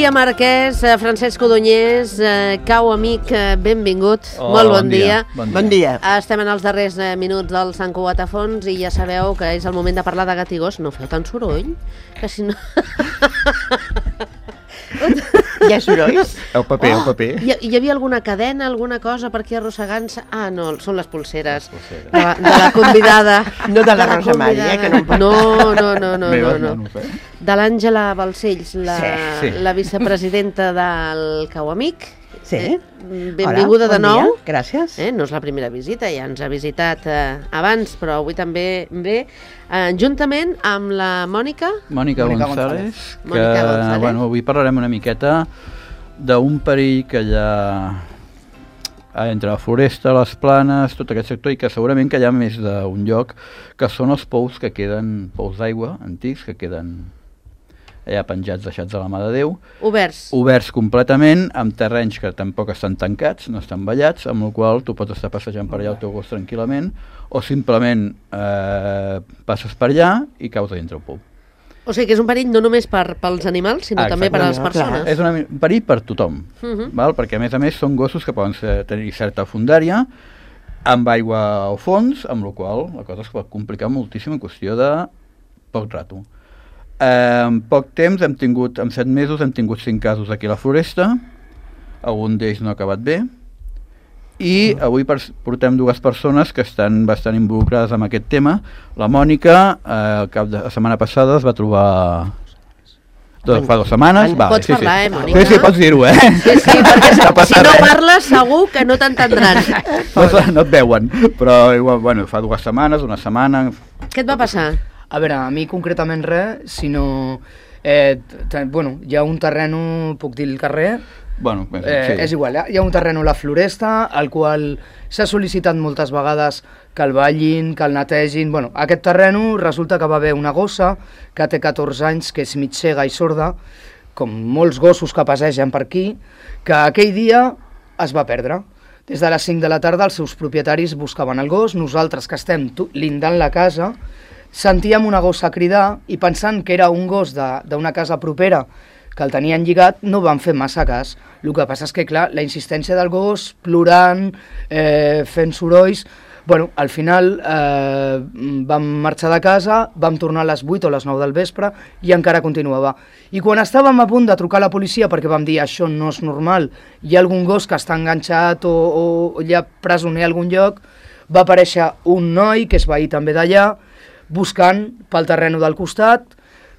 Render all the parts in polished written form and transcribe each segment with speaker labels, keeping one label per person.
Speaker 1: Maria Marquès, Francesc Codonyés, Cau Amic, benvingut. Molt bon dia.
Speaker 2: Bon dia.
Speaker 1: Estem en els darrers minuts del Sant Cugat a fons i ja sabeu que és el moment de parlar de gat i gos. No feu tant soroll, que si no...
Speaker 2: Hi ha sorolls?
Speaker 3: El paper.
Speaker 1: Hi havia alguna cadena, alguna cosa per aquí arrossegant-se? Ah, no, són les polseres de la convidada.
Speaker 2: No de la Rosa Maria, que no em pot...
Speaker 1: No. De l'Àngela Balcells, la vicepresidenta del Cau Amic.
Speaker 2: Sí.
Speaker 1: Benvinguda de nou.
Speaker 2: Dia. Gràcies.
Speaker 1: No és la primera visita, ja ens ha visitat abans, però avui també ve, juntament amb la Mònica
Speaker 3: González, que bueno, avui parlarem una miqueta d'un perill que hi ha entre la floresta, les planes, tot aquest sector, i que segurament que hi ha més d'un lloc, que són els pous que queden, pous d'aigua antics, que queden allà penjats, deixats a la mà de Déu. Oberts completament, amb terrenys que tampoc estan tancats, no estan vallats, amb el qual tu pots estar passejant per allà el teu gos tranquil·lament, o simplement passes per allà i caus a dintre el pou.
Speaker 1: O sigui que és un perill no només pels animals, sinó també per a les persones.
Speaker 3: És un perill per tothom, val? Perquè a més són gossos que poden tenir certa fondària, amb aigua al fons, amb la qual la cosa es pot complicar moltíssim en qüestió de poc rato. En poc temps, en 7 mesos, hem tingut 5 casos aquí a la floresta, algun d'ells no ha acabat bé, i avui portem 2 persones que estan bastant involucrades en aquest tema. La Mònica, al cap de la setmana passada, es va trobar... Fa 2 setmanes.
Speaker 1: Pots parlar, Mònica?
Speaker 3: Sí, pots dir-ho,
Speaker 1: Sí, perquè si no parles segur que no t'entendran.
Speaker 3: No et veuen, però bueno, fa 2 setmanes, una setmana...
Speaker 1: Què et va passar?
Speaker 4: A veure, a mi concretament res, sinó... bueno, hi ha un terreno, puc dir el carrer?
Speaker 3: Bueno, sí.
Speaker 4: És igual, hi ha un terreno a la floresta, al qual s'ha sol·licitat moltes vegades que el ballin, que el netegin... Bueno, aquest terreno resulta que va haver una gossa que té 14 anys, que és mig cega i sorda, com molts gossos que passegen per aquí, que aquell dia es va perdre. Des de les 5 de la tarda els seus propietaris buscaven el gos, nosaltres que estem lindant la casa, sentíem una gossa cridar i pensant que era un gos d'una casa propera que el tenien lligat, no van fer massa cas. El que passa és que, clar, la insistència del gos, plorant, fent sorolls... Bueno, al final vam marxar de casa, vam tornar a les 8 o les 9 del vespre i encara continuava. I quan estàvem a punt de trucar a la policia perquè vam dir això no és normal, hi ha algun gos que està enganxat o hi ha presoner a algun lloc, va aparèixer un noi que és veí també d'allà, buscant pel terreno del costat.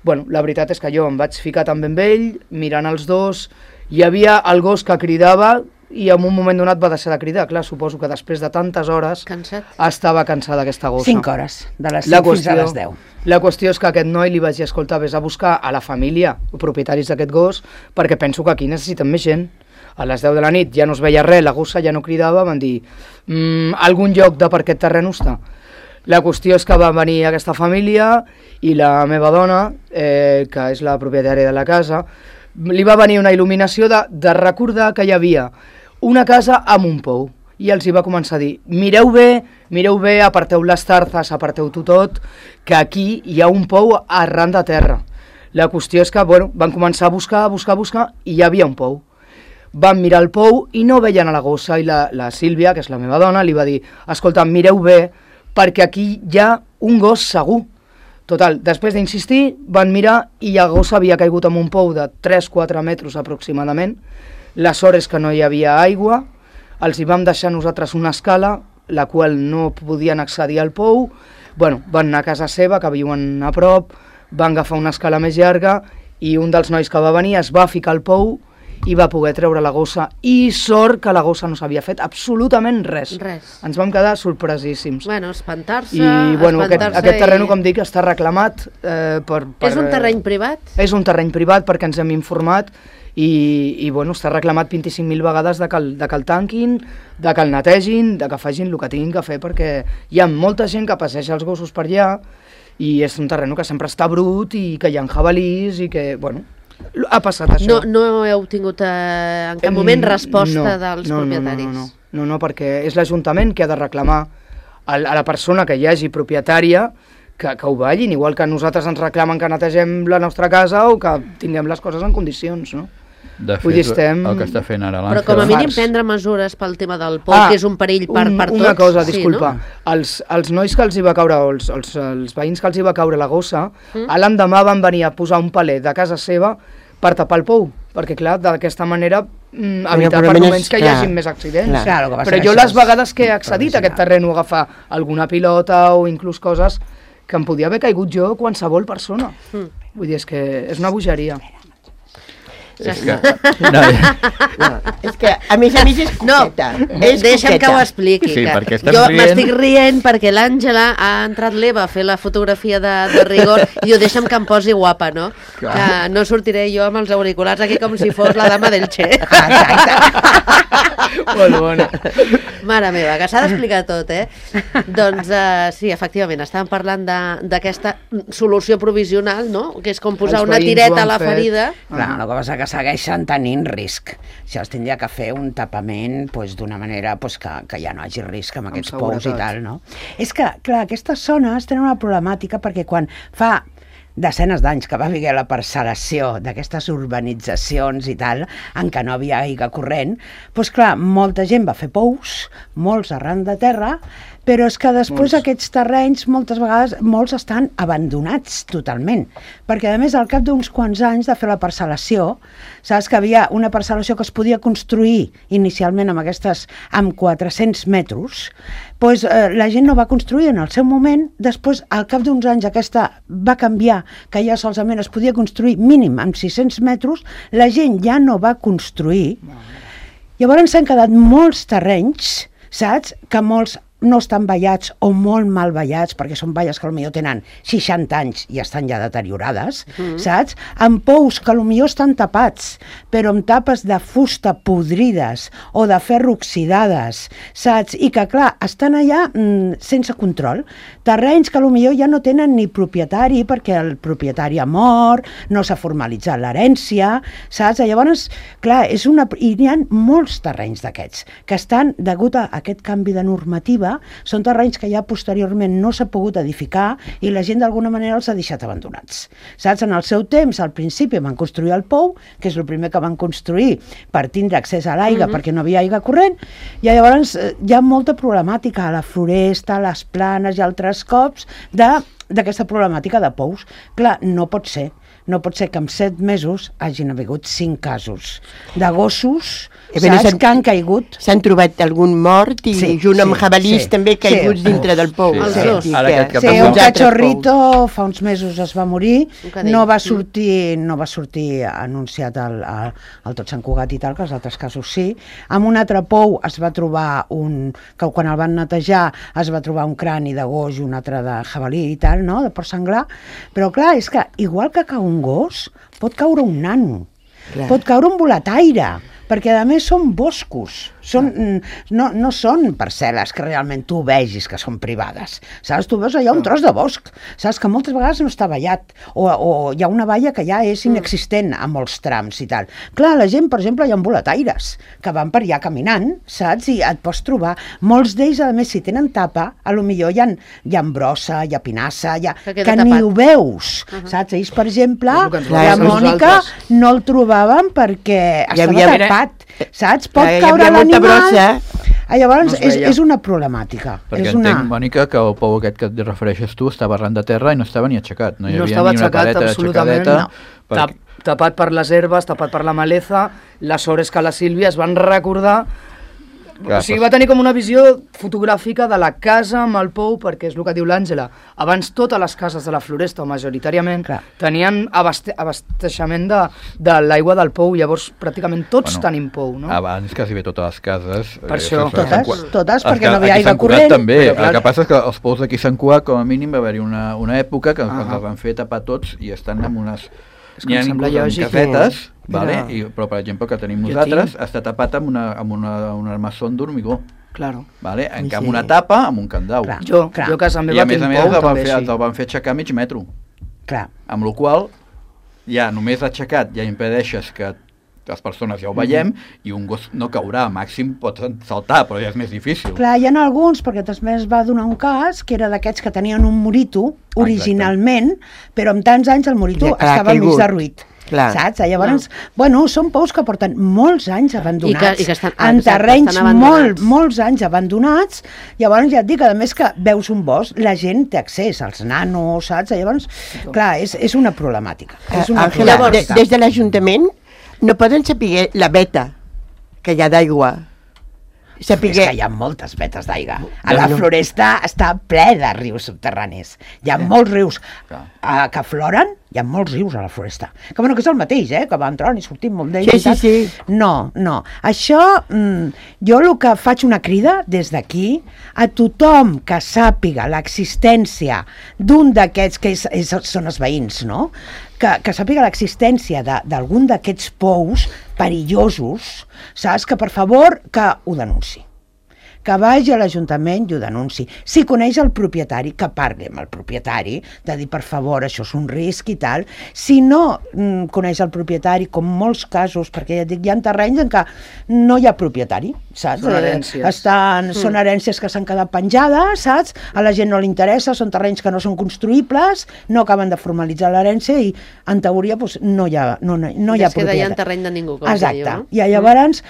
Speaker 4: Bueno, la veritat és que jo em vaig ficar també amb ell, mirant els dos, hi havia el gos que cridava i en un moment donat va deixar de cridar. Clar, suposo que després de tantes hores estava cansada aquesta gossa.
Speaker 2: 5 hores, de les 5 fins a les 10.
Speaker 4: La qüestió és que a aquest noi li vaig dir, escolta, vés a buscar a la família, propietaris d'aquest gos, perquè penso que aquí necessiten més gent. A les 10 de la nit ja no es veia res, la gossa ja no cridava, van dir, algun lloc de per aquest terreno està. La qüestió és que va venir aquesta família i la meva dona, que és la propietària de la casa, li va venir una il·luminació de recordar que hi havia una casa amb un pou. I els hi va començar a dir, mireu bé, aparteu les tarzes, aparteu-ho tot, que aquí hi ha un pou arran de terra. La qüestió és que bueno, van començar a buscar i hi havia un pou. Van mirar el pou i no veien a la gossa i la Sílvia, que és la meva dona, li va dir, escolta, mireu bé, perquè aquí hi ha un gos segur. Total, després d'insistir, van mirar i la gossa havia caigut en un pou de 3-4 metres aproximadament. La sort és que no hi havia aigua, els hi vam deixar nosaltres una escala, la qual no podien accedir al pou. Bueno, van anar a casa seva, que viuen a prop, van agafar una escala més llarga i un dels nois que va venir es va ficar al pou i va poder treure la gossa. I sort que la gossa no s'havia fet absolutament res. Ens vam quedar sorpresíssims.
Speaker 1: Bueno, espantar-se...
Speaker 4: I bueno, aquest terreno, com dic, està reclamat per...
Speaker 1: És un terreny privat?
Speaker 4: És un terreny privat perquè ens hem informat i bueno, està reclamat 25.000 vegades de que el tanquin, de que el netegin, de que facin el que tinguin que fer, perquè hi ha molta gent que passeja els gossos per allà i és un terreno que sempre està brut i que hi ha jabalís i que, bueno, ha passat això.
Speaker 1: No heu tingut en cap moment resposta dels propietaris?
Speaker 4: No, perquè és l'Ajuntament que ha de reclamar a la persona que hi hagi propietària que ho ballin, igual que nosaltres ens reclamen que netegem la nostra casa o que tinguem les coses en condicions, no?
Speaker 3: De fet, el que està fent ara l'Àngela...
Speaker 1: Però com a mínim prendre mesures pel tema del pou, que és un perill per tots.
Speaker 4: Una cosa, disculpa. Els nois que els hi va caure, els veïns que els hi va caure la gossa, l'endemà van venir a posar un palet de casa seva per tapar el pou, perquè clar, d'aquesta manera evitar per moments que hi hagi més accidents. Però jo les vegades que he accedit a aquest terreny a agafar alguna pilota o inclús coses que em podia haver caigut jo qualsevol persona. Vull dir, és que és una bogeria.
Speaker 3: És que...
Speaker 2: és que a més és coqueta.
Speaker 1: Deixa'm que ho expliqui.
Speaker 3: Sí,
Speaker 1: jo m'estic rient perquè l'Àngela ha entrat l'Eva a fer la fotografia de rigor i jo deixa'm que em posi guapa, no? Que no sortiré jo amb els auriculars aquí com si fos la dama del Che.
Speaker 4: Molt bona.
Speaker 1: Mare meva, que s'ha d'explicar tot, Doncs sí, efectivament, estàvem parlant d'aquesta solució provisional, no? Que és com posar una tireta a la ferida.
Speaker 2: Clar, el que passa que segueixen tenint risc. Això es tindria que fer un tapament d'una manera que ja no hagi risc amb aquests pous i tal, no? És que, clar, aquestes zones tenen una problemàtica perquè quan fa desenes d'anys que va haver la parcel·lació d'aquestes urbanitzacions i tal, en què no havia aigua corrent, doncs clar, molta gent va fer pous, molts arran de terra, però és que després aquests terrenys moltes vegades molts estan abandonats totalment, perquè a més al cap d'uns quants anys de fer la parcel·lació, saps que havia una parcel·lació que es podia construir inicialment amb 400 metres, doncs la gent no va construir en el seu moment, després al cap d'uns anys aquesta va canviar, que ja solament es podia construir mínim amb 600 metres, la gent ja no va construir, llavors s'han quedat molts terrenys, saps, que molts no estan vallats o molt mal vallats, perquè són valles que potser tenen 60 anys i estan ja deteriorades, saps? Amb pous que potser estan tapats, però amb tapes de fusta podrides o de ferro oxidades, saps? I que, clar, estan allà sense control. Terrenys que potser ja no tenen ni propietari, perquè el propietari ha mort, no s'ha formalitzat l'herència, saps? Llavors, clar, i n'hi ha molts terrenys d'aquests, que estan, degut a aquest canvi de normativa, són terrenys que ja posteriorment no s'ha pogut edificar i la gent d'alguna manera els ha deixat abandonats. Saps? En el seu temps, al principi van construir el pou, que és el primer que van construir per tindre accés a l'aigua perquè no havia aigua corrent, i llavors hi ha molta problemàtica a la floresta, a les planes i altres cops d'aquesta problemàtica de pous. Clar, no pot ser que en 7 mesos hagin hagut 5 casos de gossos, saps, que han caigut.
Speaker 5: S'han trobat algun mort i junt amb jabalís també caiguts dintre del pou.
Speaker 1: Els dos.
Speaker 2: Un cachorrito fa uns mesos es va morir, no va sortir anunciat al Tot Sant Cugat i tal, que els altres casos sí. Amb un altre pou es va trobar que quan el van netejar es va trobar un crani de gos i un altre de jabalí i tal, no? De porc senglar. Però clar, és que igual que cau un gos, pot caure un nano, pot caure un boletaire, perquè a més són boscos, no són parcel·les que realment tu vegis que són privades, saps? Tu veus allà un tros de bosc, saps? Que moltes vegades no està vallat, o hi ha una valla que ja és inexistent a molts trams i tal. Clar, la gent, per exemple, hi ha boletaires que van per allà caminant, saps? I et pots trobar, molts d'ells, a més, si tenen tapa, a lo millor hi ha brossa, hi ha pinassa, que ni ho veus, saps? Ells, per exemple, la Mònica no el trobaven perquè estava tapat, saps? Pot caure l'animal. Llavors és una problemàtica.
Speaker 3: Perquè entenc, Mònica, que el pou aquest que et refereixes tu estava arran de terra i no estava ni aixecat. No hi havia ni una pareta aixecadeta.
Speaker 4: Tapat per les herbes, tapat per la maleza. Les hores que la Sílvia es van recordar. O sigui, va tenir com una visió fotogràfica de la casa amb el pou, perquè és el que diu l'Àngela. Abans totes les cases de la Floresta, o majoritàriament, tenien abasteixement de l'aigua del pou, llavors pràcticament tots tenim pou, no?
Speaker 3: Abans quasi bé totes les cases.
Speaker 4: Per això.
Speaker 2: Totes, perquè no havia aigua corrent.
Speaker 3: També. El que passa és que els pous d'aquí Sant Cugat, com a mínim, va haver-hi una època que els van fer tapar tots i estan amb unes... N'hi ha inclús amb casetes, però per exemple que tenim nosaltres està tapat amb un armassó d'hormigó.
Speaker 4: Claro.
Speaker 3: En canvi una tapa amb un candau.
Speaker 4: Jo a casa meva tinc pou també així.
Speaker 3: El van fer aixecar mig metro. Amb la qual ja només aixecat ja impedeixes que les persones ja ho veiem, i un gos no caurà, màxim pot saltar, però ja és més difícil.
Speaker 2: Clar, hi ha alguns, perquè també es va donar un cas, que era d'aquests que tenien un morito, originalment, però amb tants anys el morito estava mig derruït.
Speaker 5: Clar.
Speaker 2: Saps? Llavors, bueno, són pous que porten molts anys abandonats,
Speaker 1: I que estan,
Speaker 2: en terrenys molts anys abandonats. Llavors ja et dic, a més que veus un bosc, la gent té accés als nanos, saps? Llavors, clar, és una problemàtica.
Speaker 5: Àngela, des de l'Ajuntament no poden saber la veta que hi ha d'aigua.
Speaker 2: És que hi ha moltes vetes d'aigua. A la Floresta està ple de rius subterranis. Hi ha molts rius que afloren, hi ha molts rius a la Floresta. Que bueno, que és el mateix, que va entrant i sortim molt d'ells.
Speaker 5: Sí.
Speaker 2: No. Això, jo el que faig una crida des d'aquí a tothom que sàpiga l'existència d'un d'aquests, que són els veïns, no?, que sàpiga l'existència d'algun d'aquests pous perillosos, saps? Que per favor que ho denunciï, que vagi a l'Ajuntament i ho denunciï. Si coneix el propietari, que parli amb el propietari, de dir, per favor, això és un risc i tal. Si no coneix el propietari, com molts casos, perquè ja dic, hi ha terrenys en què no hi ha propietari, saps?
Speaker 4: Són herències.
Speaker 2: Són herències que s'han quedat penjades, saps? A la gent no li interessa, són terrenys que no són construïbles, no acaben de formalitzar l'herència i, en teoria, no hi ha propietari.
Speaker 1: Es queda ja en terreny de ningú, com
Speaker 2: exacte.
Speaker 1: Diu, no?
Speaker 2: I llavors,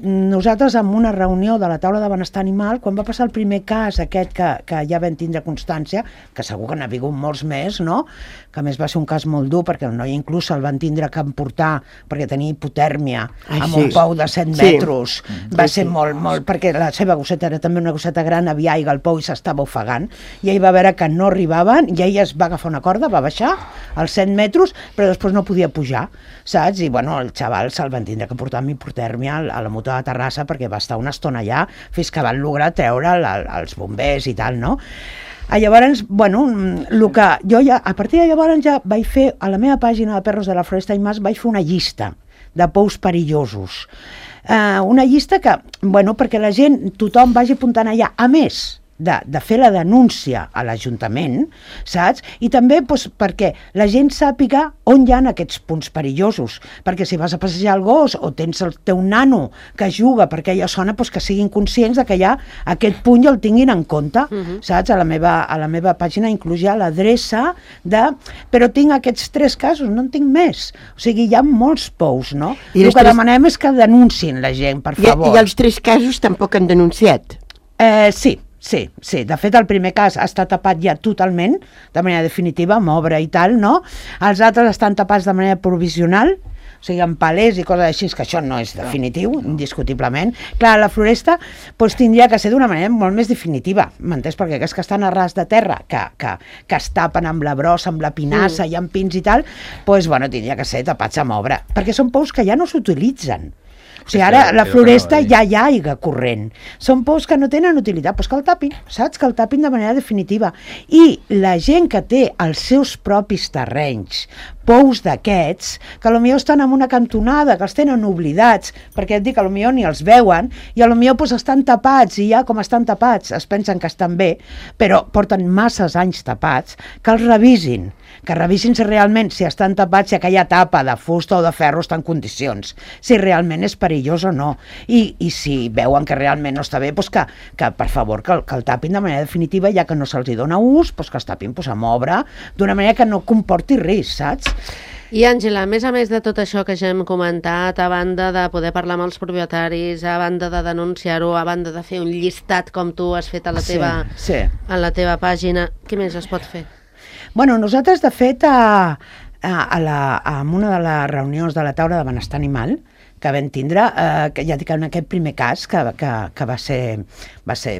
Speaker 2: nosaltres en una reunió de la taula de benestar animal, quan va passar el primer cas aquest que ja vam tindre constància, que segur que n'ha hagut molts més, no?, que a més va ser un cas molt dur, perquè el noi inclús el van tindre que emportar perquè tenia hipotèrmia amb un pou de 7 metres. Va ser molt, perquè la seva gosseta era també una gosseta gran, havia aigua al pou i s'estava ofegant, i ell va veure que no arribaven, i ell es va agafar una corda, va baixar als 7 metres, però després no podia pujar, saps? I bueno, el xaval se'l van tindre que portar amb hipotèrmia a la Mutua de Terrassa, perquè va estar una estona allà fins que van lograr treure'l els bombers i tal, no? Llavors, bueno, el que jo ja, a partir de llavors ja vaig fer, a la meva pàgina de Perros de la Floresta i Mas, vaig fer una llista de pous perillosos. Una llista que, bueno, perquè la gent, tothom vagi apuntant allà, a més de fer la denúncia a l'Ajuntament, saps? I també perquè la gent sàpiga on hi ha aquests punts perillosos, perquè si vas a passejar el gos o tens el teu nano que juga per aquella zona, que siguin conscients de que hi ha aquest punt i el tinguin en compte, saps? A la meva pàgina inclús hi ha l'adreça però tinc aquests 3 casos, no en tinc més. O sigui, hi ha molts pous, no? El que demanem és que denunciïn la gent, per favor.
Speaker 5: I els 3 casos tampoc han denunciat?
Speaker 2: Sí, de fet el primer cas està tapat ja totalment, de manera definitiva, amb obra i tal, no? Els altres estan tapats de manera provisional, o sigui, amb palers i coses així, que això no és definitiu, indiscutiblement. Clar, la Floresta tindria que ser d'una manera molt més definitiva, m'entens? Perquè aquests que estan a ras de terra, que es tapen amb la brossa, amb la pinassa i amb pins i tal, tindria que ser tapats amb obra, perquè són pous que ja no s'utilitzen. O sigui, ara a la Floresta ja hi ha aigua corrent. Són pous que no tenen utilitat, que el tapin, saps? Que el tapin de manera definitiva. I la gent que té els seus propis terrenys, pous d'aquests, que potser estan en una cantonada, que els tenen oblidats, perquè et dic, potser ni els veuen, i potser estan tapats, i ja com estan tapats es pensen que estan bé, però porten masses anys tapats, que els revisin, si realment, si estan tapats, si aquella tapa de fusta o de ferro està en condicions, si realment és perillós o no, i si veuen que realment no està bé, que per favor que el tapin de manera definitiva, ja que no se'ls dona ús, que es tapin amb obra, d'una manera que no comporti risc, saps?
Speaker 1: I Àngela, a més de tot això que ja hem comentat, a banda de poder parlar amb els propietaris, a banda de denunciar-ho, a banda de fer un llistat com tu has fet a la teva pàgina, què més es pot fer?
Speaker 2: Bueno, nosaltres, de fet, en una de les reunions de la taula de benestar animal que vam tindre, que ja dic, en aquest primer cas, que va ser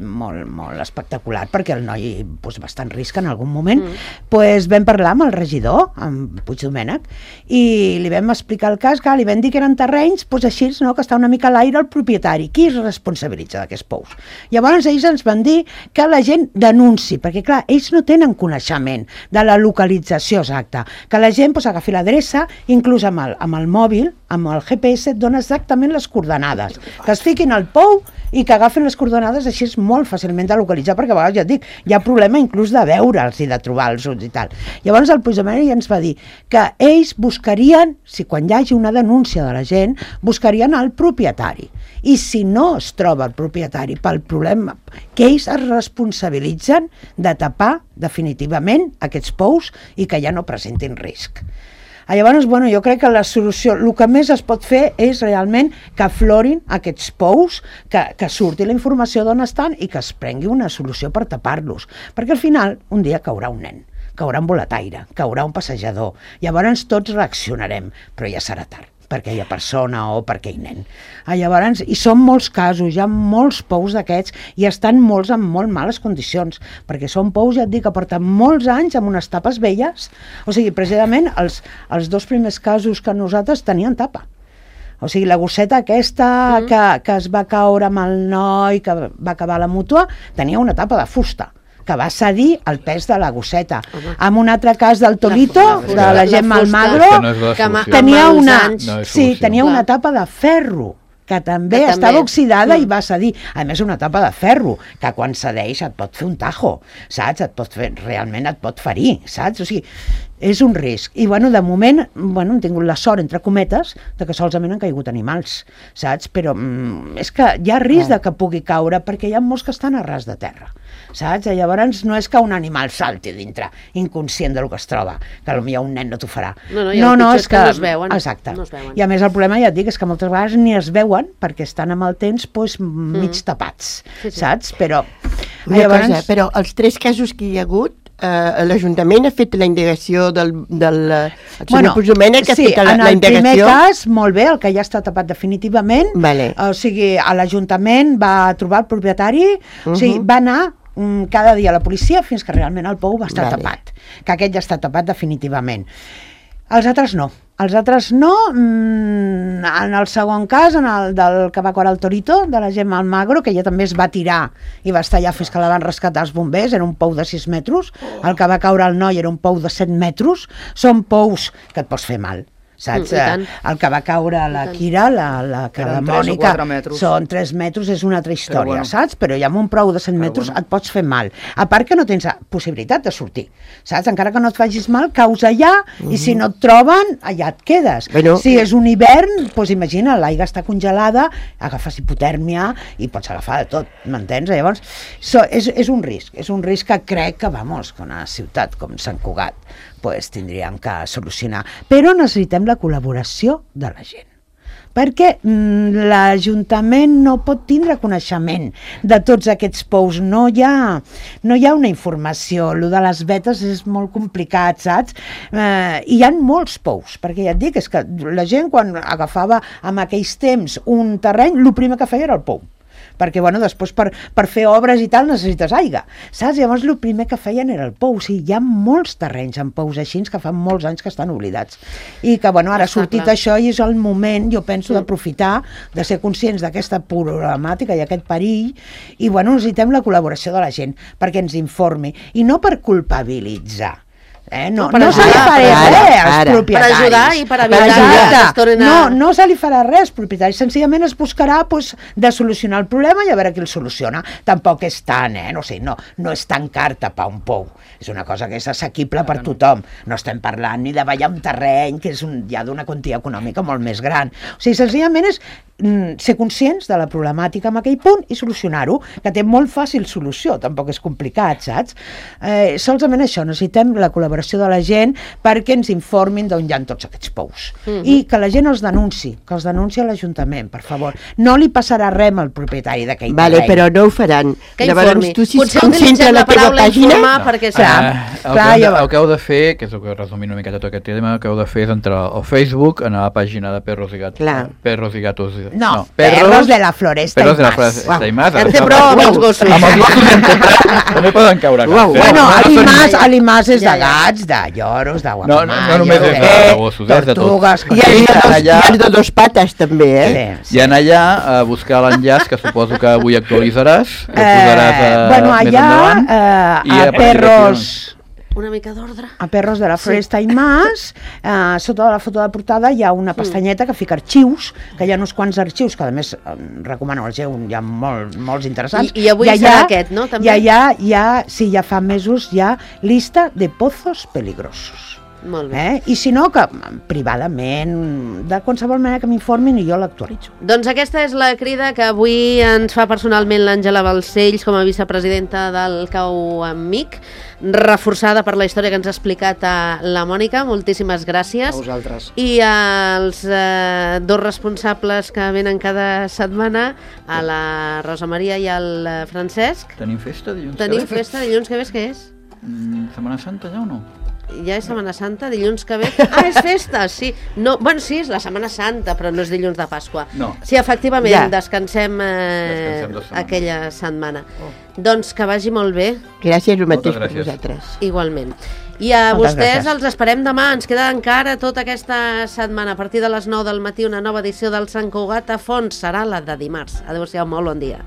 Speaker 2: molt espectacular, perquè el noi va estar en risc en algun moment, vam parlar amb el regidor, amb Puigdomènec, i li vam explicar el cas, que li vam dir que eren terrenys així, que està una mica a l'aire el propietari. Qui es responsabilitza d'aquests pous? Llavors ells ens van dir que la gent denunci, perquè clar, ells no tenen coneixement de la localització exacta, que la gent agafi l'adreça, inclús amb el mòbil, amb el GPS, et dona dona exactament les coordenades, que es fiquin al pou i que agafen les coordenades, així és molt fàcilment de localitzar, perquè a vegades, ja et dic, hi ha problema inclús de veure'ls i de trobar-los i tal. Llavors el Puigdemont ja ens va dir que ells buscarien, si quan hi hagi una denúncia de la gent, buscarien el propietari. I si no es troba el propietari pel problema, que ells es responsabilitzen de tapar definitivament aquests pous i que ja no presentin risc. Llavors, jo crec que la solució, el que més es pot fer és realment que aflorin aquests pous, que surti la informació d'on estan i que es prengui una solució per tapar-los. Perquè al final, un dia caurà un nen, caurà un boletaire, caurà un passejador. Llavors tots reaccionarem, però ja serà tard, perquè hi ha persona o perquè hi ha nen. Llavors, i són molts casos, hi ha molts pous d'aquests i estan molts en molt males condicions, perquè són pous, ja et dic, que porten molts anys amb unes tapes velles. O sigui, precisament, els dos primers casos que nosaltres tenien tapa. O sigui, la gosseta aquesta que es va caure amb el noi, que va acabar a la mútua, tenia una tapa de fusta, que va cedir el pes de la gosseta. En un altre cas del Torito, de la Gemma Almagro, tenia una tapa de ferro, que també estava oxidada i va cedir. A més, una tapa de ferro, que quan cedeix et pot fer un tajo, saps? Realment et pot ferir, saps? O sigui, és un risc. I, de moment, hem tingut la sort, entre cometes, de que solament han caigut animals, saps? Però és que hi ha risc de que pugui caure, perquè hi ha molts que estan a ras de terra, saps? Llavors, no és que un animal salti dintre, inconscient del que es troba, que potser un nen no t'ho farà.
Speaker 1: No, és que no es veuen.
Speaker 2: Exacte. I a més, el problema, ja et dic, és que moltes vegades ni es veuen, perquè estan amb el temps mig tapats, saps? Però
Speaker 5: els 3 casos que hi ha hagut, l'Ajuntament ha fet la indagació del senyor Puigdemont, que ha fet la indagació. En el primer cas, molt bé, el que ja està tapat definitivament, o sigui, l'Ajuntament va trobar el propietari, o sigui, va anar cada dia a la policia fins que realment el pou va estar tapat, que aquest ja està tapat definitivament. Els altres no. En el segon cas, en el del que va caure el Torito, de la Gemma Almagro, que ella també es va tirar i va estar allà fins que la van rescatar els bombers, era un pou de 6 metres, el que va caure el noi era un pou de 7 metres, són pous que et pots fer mal, saps? El que va caure a la Quira, la Mònica, són 3 metres, és una altra història, saps? Però ja amb un prou de 7 metres et pots fer mal. A part que no tens possibilitat de sortir, saps? Encara que no et facis mal, caus allà i si no et troben, allà et quedes. Si és un hivern, doncs imagina, l'aigua està congelada, agafes hipotèrmia i pots agafar de tot, m'entens? Llavors, és un risc que crec que, que una ciutat com Sant Cugat tindríem que solucionar. Però necessitem la col·laboració de la gent, perquè l'Ajuntament no pot tindre coneixement de tots aquests pous, no hi ha una informació, el de les vetes és molt complicat, saps? Hi ha molts pous, perquè ja et dic, és que la gent quan agafava en aquells temps un terreny, el primer que feia era el pou, perquè després per fer obres i tal necessites aigua, saps? Llavors el primer que feien era el pou. O sigui, hi ha molts terrenys amb pous així que fa molts anys que estan oblidats i que ara ha sortit això i és el moment, jo penso, d'aprofitar, de ser conscients d'aquesta problemàtica i aquest perill i necessitem la col·laboració de la gent perquè ens informi i no per culpabilitzar. No se li farà res als propietaris. Per ajudar i per evitar no se li farà res als propietaris, senzillament es buscarà de solucionar el problema i a veure qui el soluciona. Tampoc és tant, no és tan car tapar un pou, és una cosa que és assequible per tothom, no estem parlant ni de ballar un terreny que és ja d'una quantia econòmica molt més gran. O sigui, senzillament és ser conscients de la problemàtica en aquell punt i solucionar-ho, que té molt fàcil solució, tampoc és complicat, saps? Solament això, necessitem la col·laboració de la gent perquè ens informin d'on hi ha tots aquests pous i que la gent els denunciï, que els denunciï a l'Ajuntament, per favor. No li passarà res al propietari d'aquell terreny. Però no ho faran.
Speaker 1: Que informi. Potser utilitzem la paraula informar perquè...
Speaker 3: El que heu de fer, que és el que resumint una miqueta tot aquest tema, el que heu de fer és entrar al Facebook, anar a la pàgina de Perros i Gatos.
Speaker 2: No, Perros de la Floresta
Speaker 3: i Mas.
Speaker 1: Té prou amb els gossos.
Speaker 3: Amb els gossos també poden caure gats.
Speaker 2: Bueno, a l'Imàs és de gats, de lloros, de guapamà...
Speaker 3: No només és de gossos, és de tot.
Speaker 5: I hi ha de 2 pates també,
Speaker 3: I anar allà a buscar l'enllaç, que suposo que avui actualitzaràs, que posaràs
Speaker 2: allà a Perros...
Speaker 1: una mica d'ordre.
Speaker 5: A Perros de la Floresta i Mas, sota de la foto de portada hi ha una pestanyeta que fica arxius, que hi ha uns quants arxius, que a més recomano al GEU, hi ha molts interessants.
Speaker 1: I avui serà aquest, no? També?
Speaker 5: Sí, ja fa mesos, hi ha lista de pozos peligrosos.
Speaker 1: Molt bé.
Speaker 5: I si no, que privadament, de qualsevol manera que m'informin i jo l'actualitzo.
Speaker 1: Doncs aquesta és la crida que avui ens fa personalment l'Àngela Balcells com a vicepresidenta del CAU-MIC, reforçada per la història que ens ha explicat la Mònica. Moltíssimes gràcies.
Speaker 4: A vosaltres.
Speaker 1: I als dos responsables que venen cada setmana, a la Rosa Maria i al Francesc.
Speaker 3: Tenim festa dilluns
Speaker 1: que ve? Tenim festa dilluns que ve, què és?
Speaker 3: Setmana Santa ja o no?
Speaker 1: Ja és Setmana Santa, dilluns que ve... és festa, sí. No, bueno, sí, és la Setmana Santa, però no és dilluns de Pasqua.
Speaker 3: No.
Speaker 1: Sí, efectivament, descansem aquella setmana. Doncs que vagi molt bé.
Speaker 6: Gràcies, el mateix per vosaltres.
Speaker 1: Igualment. I a vostès els esperem demà. Ens queda encara tota aquesta setmana. A partir de les 9 del matí, una nova edició del Sant Cugat a fons. Serà la de dimarts. Adéu-siau, molt bon dia.